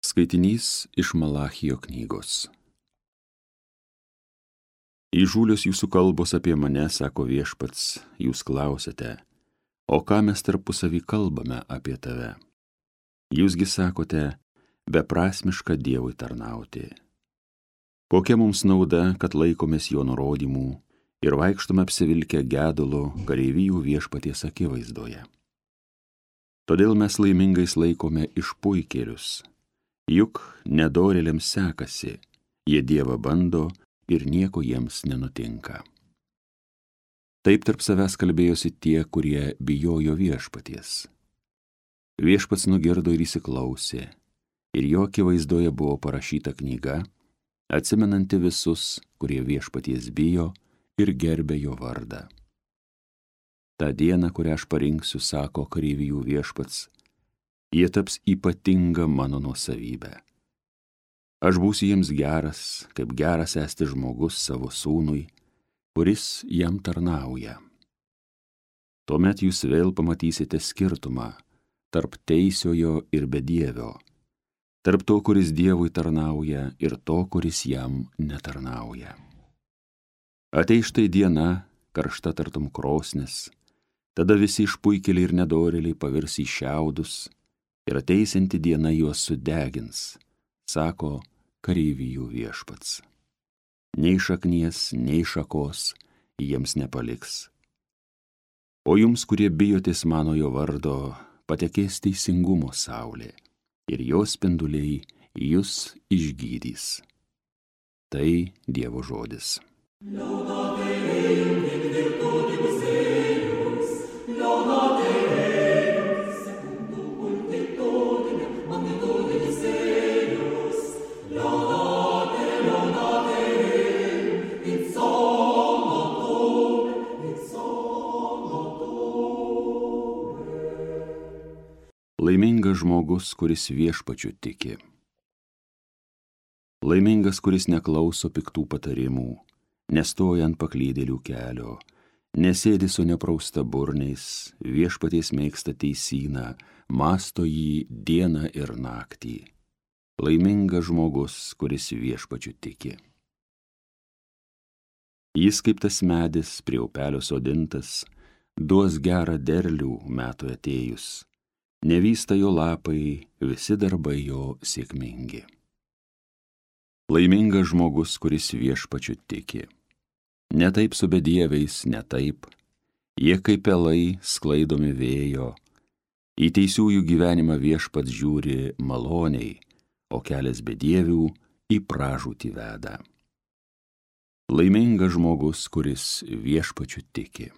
Skaitinys iš Malachijo knygos. Įžūlios jūsų kalbos apie mane, sako Viešpats, jūs klausiate, o ką mes tarpusavy kalbame apie tave? Jūsgi sakote, beprasmiška Dievui tarnauti. Kokia mums nauda, kad laikomės jo nurodymų ir vaikštome apsivilkę gedulo kareivijų Viešpaties akivaizdoje? Todėl mes laimingais laikome išpuikėlius. Juk nedorėliams sekasi, jie Dievą bando ir nieko jiems nenutinka. Taip tarp savęs kalbėjosi tie, kurie bijojo Viešpaties. Viešpats nugirdo ir įsiklausė, ir jo akivaizdoje buvo parašyta knyga, atsimenanti visus, kurie Viešpaties bijo ir gerbė jo vardą. Ta diena, kurią aš parinksiu, sako kareivijų Viešpats, jie taps ypatinga mano nuosavybė. Aš būsiu jiems geras, kaip geras esti žmogus savo sūnui, kuris jam tarnauja. Tuomet jūs vėl pamatysite skirtumą tarp teisiojo ir bedievio, tarp to, kuris Dievui tarnauja, ir to, kuris jam netarnauja. Ateis štai diena, karšta tartum krosnis, tada visi išpuikėliai ir nedorėliai pavirs į šiaudus, ir ateisinti diena juos sudegins, sako kareivijų Viešpats. Nei šaknies, nei šakos jiems nepaliks. O jums, kurie bijotės manojo vardo, patekės teisingumo saulė, ir jos spinduliai jus išgydys. Tai Dievo žodis. Laimingas žmogus, kuris Viešpačiu tiki. Laimingas, kuris neklauso piktų patarimų, nestoja ant paklydėlių kelio, nesėdi su neprausta burniais, Viešpaties mėgsta teisyną, mąsto jį dieną ir naktį. Laimingas žmogus, kuris Viešpačiu tiki. Jis kaip tas medis prie upelio sodintas, duos gerą derlių metui atėjus. Nevysta jo lapai, visi darbai jo sėkmingi. Laimingas žmogus, kuris Viešpačiu tiki. Ne taip su bedieviais, ne taip. Jie kaip pelai sklaidomi vėjo. Į teisiųjų gyvenimą Viešpats žiūri maloniai, o kelias bedievių į pražūtį veda. Laimingas žmogus, kuris Viešpačiu tiki.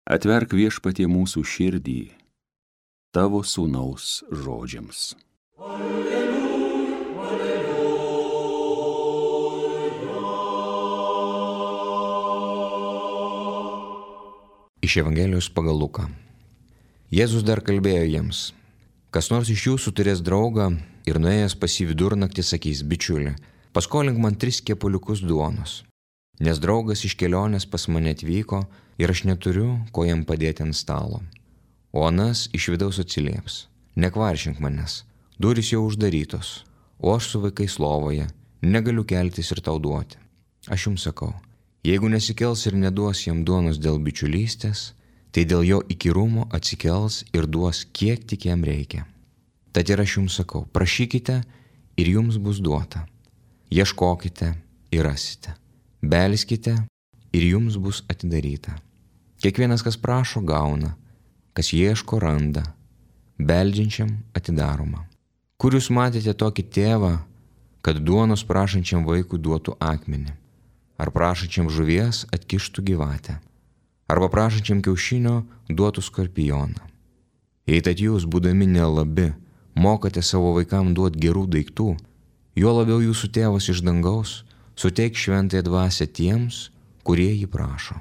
Atverk Viešpatie mūsų širdį tavo sūnaus žodžiams. Iš Evangelijos pagal Luką. Jėzus dar kalbėjo jiems, kas nors iš jūsų turės draugą ir nuėjęs pas jį vidurnaktį sakys, bičiuli, paskolink man 3 kepaliukus duonos, nes draugas iš kelionės pas mane atvyko ir aš neturiu, ko jam padėti ant stalo. O anas iš vidaus atsilieps, nekvaršink manęs, durys jau uždarytos, o aš su vaikais lovoje, negaliu keltis ir tau duoti. Aš jums sakau, jeigu nesikels ir neduos jam duonos dėl bičiulystės, tai dėl jo įkyrumo atsikels ir duos kiek tik jam reikia. Tad ir aš jums sakau, prašykite ir jums bus duota, ieškokite ir rasite, belskite ir jums bus atidaryta. Kiekvienas, kas prašo, gauna, kas ieško, randa, beldžiančiam atidaroma. Kur jūs matėte tokį tėvą, kad duonos prašančiam vaikui duotų akmenį, ar prašančiam žuvies atkištų gyvatę, arba prašančiam kiaušinio duotų skorpioną? Jei tad jūs, būdami nelabi, mokate savo vaikams duoti gerų daiktų, juo labiau jūsų tėvas iš dangaus suteik šventąją dvasią tiems, kurie jį prašo.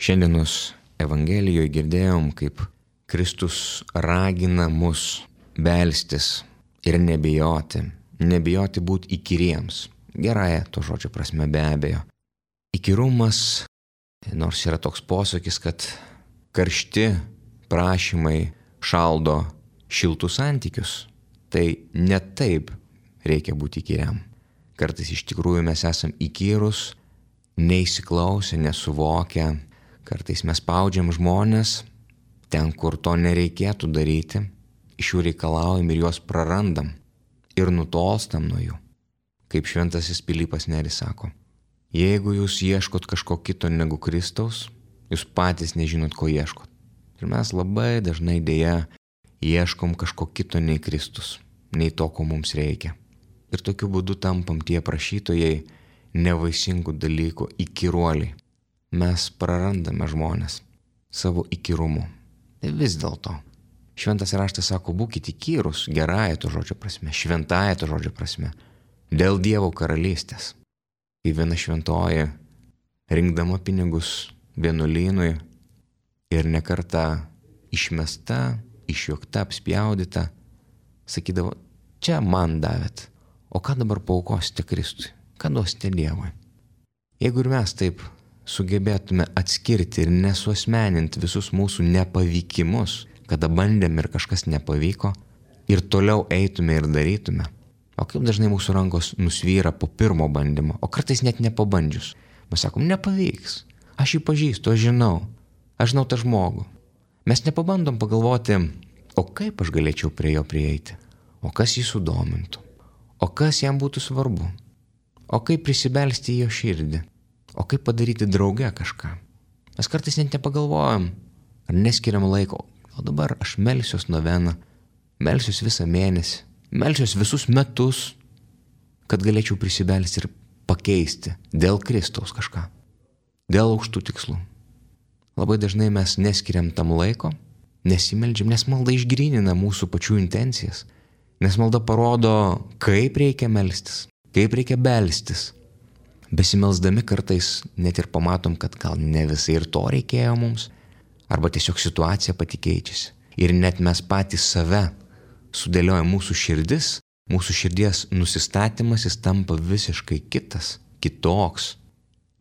Šiandienos Evangelijoje girdėjom, kaip Kristus ragina mus belstis ir nebijoti, nebijoti būti įkyriems. Gerąja to žodžio prasme be abejo. Įkyrumas, nors yra toks posakis, kad karšti prašymai šaldo šiltus santykius, tai ne taip reikia būti įkyriam. Kartais iš tikrųjų mes esam įkyrus, neįsiklausę, nesuvokę. Kartais mes spaudžiam žmonės ten, kur to nereikėtų daryti, iš jų reikalaujam ir juos prarandam ir nutolstam nuo jų. Kaip šventasis Pilypas Neris sako, jeigu jūs ieškot kažko kito negu Kristaus, jūs patys nežinot, ko ieškot. Ir mes labai dažnai dėja ieškom kažko kito nei Kristus, nei to, ko mums reikia. Ir tokiu būdu tampam tie prašytojai nevaisingų dalykų, įkyruoliai. Mes prarandame žmonės savo įkyrumu. Vis dėlto. Šventas raštas sako, būkite įkyrus, gerąja to žodžio prasme, šventąja to žodžio prasme, dėl Dievo karalystės. Kai viena šventoji, rinkdama pinigus vienuolynui ir nekartą išmesta, išjuokta, apspjaudyta, sakydavo, čia man davėt, o ką dabar paaukosite Kristui, ką duosite Dievui. Jeigu ir mes taip sugebėtume atskirti ir nesuasmeninti visus mūsų nepavykimus, kada bandėm ir kažkas nepavyko, ir toliau eitume ir darytume, o kaip dažnai mūsų rankos nusvyra po pirmo bandymo, o kartais net nepabandžius. Mes sakom, nepavyks, aš jį pažįstu, aš žinau tą žmogų. Mes nepabandom pagalvoti, o kaip aš galėčiau prie jo prieiti, o kas jį sudomintų, o kas jam būtų svarbu, o kaip prisibelsti į jo širdį, o kaip padaryti drauge kažką. Mes kartais net nepagalvojam, ar neskiriam laiko, o dabar aš melsiuos noveną, melsiuos visą mėnesį, melsiuos visus metus, kad galėčiau prisibelsti ir pakeisti dėl Kristaus kažką, dėl aukštų tikslų. Labai dažnai mes neskiriam tam laiko, nesimeldžiam, nes malda išgrynina mūsų pačių intencijas, nes malda parodo, kaip reikia melstis, kaip reikia belstis. Besimelsdami kartais net ir pamatom, kad gal ne visai ir to reikėjo mums, arba tiesiog situacija pati keičiasi. Ir net mes patys save sudėliojam mūsų širdis, mūsų širdies nusistatymas, jis tampa visiškai kitas, kitoks.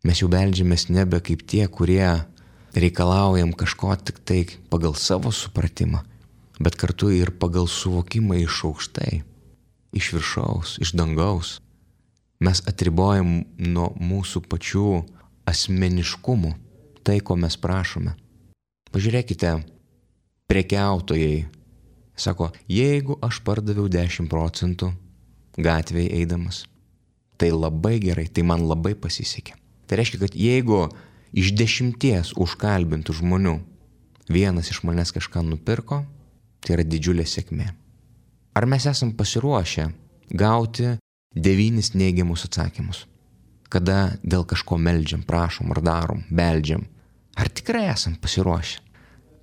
Mes jau beldžiamės nebe kaip tie, kurie reikalaujam kažko tik tai pagal savo supratimą, bet kartu ir pagal suvokimą iš aukštai, iš viršaus, iš dangaus. Mes atribojam nuo mūsų pačių asmeniškumų tai, ko mes prašome. Pažiūrėkite, prekiautojai sako, jeigu aš pardaviau 10% gatvėje eidamas, tai labai gerai, tai man labai pasisekė. Tai reiškia, kad jeigu iš 10 užkalbintų žmonių vienas iš manęs kažką nupirko, tai yra didžiulė sėkmė. Ar mes esam pasiruošę gauti 9 neigiamus atsakymus, kada dėl kažko meldžiam, prašom ar darom, beldžiam? Ar tikrai esam pasiruošę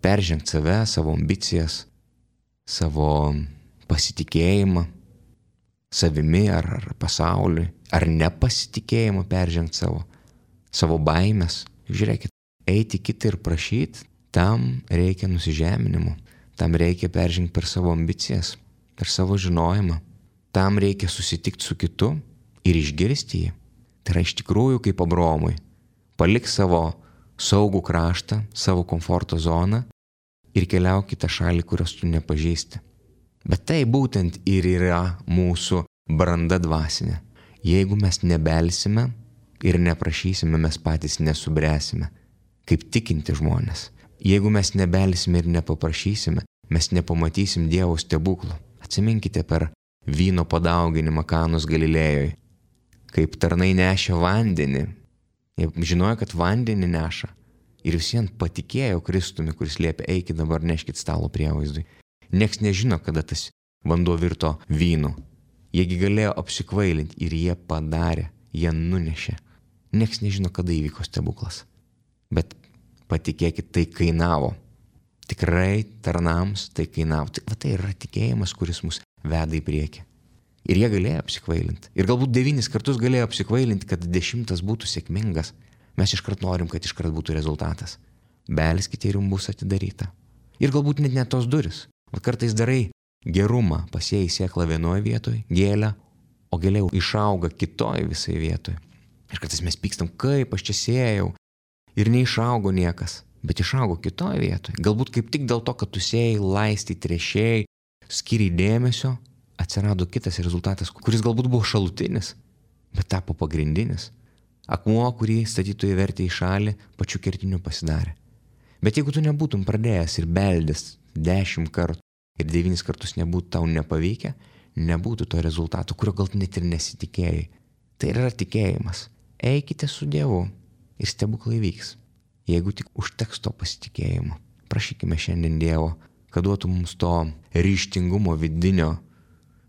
peržengti save, savo ambicijas, savo pasitikėjimą savimi ar pasauliui, ar nepasitikėjimą peržengti savo baimės? Žiūrėkit, eiti kitą ir prašyti, tam reikia nusižeminimo, tam reikia peržengti per savo ambicijas, per savo žinojimą. Tam reikia susitikti su kitu ir išgirsti jį. Tai yra iš tikrųjų kaip Abraomui. Palik savo saugų kraštą, savo komforto zoną ir keliauk kitą šalį, kurios tu nepažįsti. Bet tai būtent ir yra mūsų branda dvasinė. Jeigu mes nebelsime ir neprašysime, mes patys nesubręsime, kaip tikinti žmonės. Jeigu mes nebelsime ir nepaprašysime, mes nepamatysim Dievo stebuklų. Atsiminkite per vyno padauginimą Kanos Galilėjoje, kaip tarnai nešė vandenį. Jie žinojo, kad vandenį neša ir visiems patikėjo Kristumi, kuris liepė, eikit dabar neškit stalo prievaizdui. Niekas nežino, kada tas vanduo virto vynu. Jiegi galėjo apsikvailinti ir jie padarė, jie nunešė. Niekas nežino, kada įvyko stebuklas. Bet patikėkit, tai kainavo. Tikrai tarnams tai kainavo. Tai yra tikėjimas, kuris mus veda į priekį. Ir jie galėjo apsikvailinti. Ir galbūt 9 kartus galėjo apsikvailinti, kad 10 būtų sėkmingas. Mes iškart norim, kad iškart būtų rezultatas. Belskite ir jums bus atidaryta. Ir galbūt net tos duris. O kartais darai gerumą, pasėjai sėklą vienoje vietoje, gėlę, o gėlė išauga kitoj visai vietoje. Ir kartais mes pykstam, kaip aš čia sėjau ir neišaugo niekas, bet išaugo kitoj vietoje. Galbūt kaip tik dėl to, kad tu sėjai, laistai, tręšėjai, skiriai dėmesio, atsirado kitas rezultatas, kuris galbūt buvo šalutinis, bet tapo pagrindinis. Akmuo, kurį statytojai vertė į šalį, pačiu kertiniu pasidarė. Bet jeigu tu nebūtum pradėjęs ir beldęs 10 kartų ir 9 kartus nebūtų tau nepavykę, nebūtų to rezultato, kurio gal net ir nesitikėjai. Tai yra tikėjimas. Eikite su Dievu ir stebuklai vyks. Jeigu tik užteks to pasitikėjimo. Prašykime šiandien Dievo, kad duotų mums to ryžtingumo vidinio,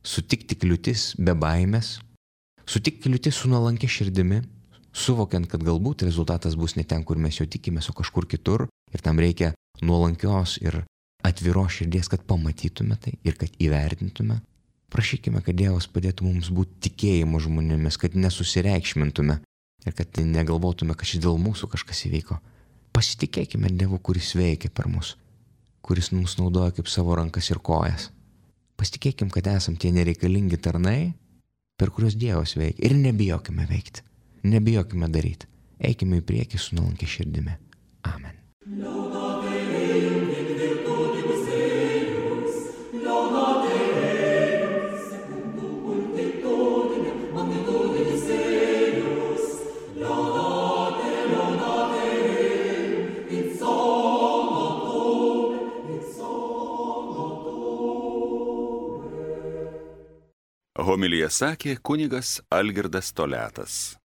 sutikti kliūtis be baimės, sutikti kliūtis su nuolankia širdimi, suvokiant, kad galbūt rezultatas bus ne ten, kur mes jo tikimės, o kažkur kitur, ir tam reikia nuolankios ir atviros širdies, kad pamatytume tai ir kad įvertintume. Prašykime, kad Dievas padėtų mums būti tikėjimo žmonėmis, kad nesusireikšmintume ir kad negalvotume, kad šis dėl mūsų kažkas įvyko. Pasitikėkime Dievu, kuris veikia per mus, kuris mums naudoja kaip savo rankas ir kojas. Pasitikėkim, kad esam tie nereikalingi tarnai, per kuriuos Dievas veikia. Ir nebijokime veikti, nebijokime daryti. Eikime į priekį su nuolankia širdimi. Amen. Homiliją sakė kunigas Algirdas Toliatas.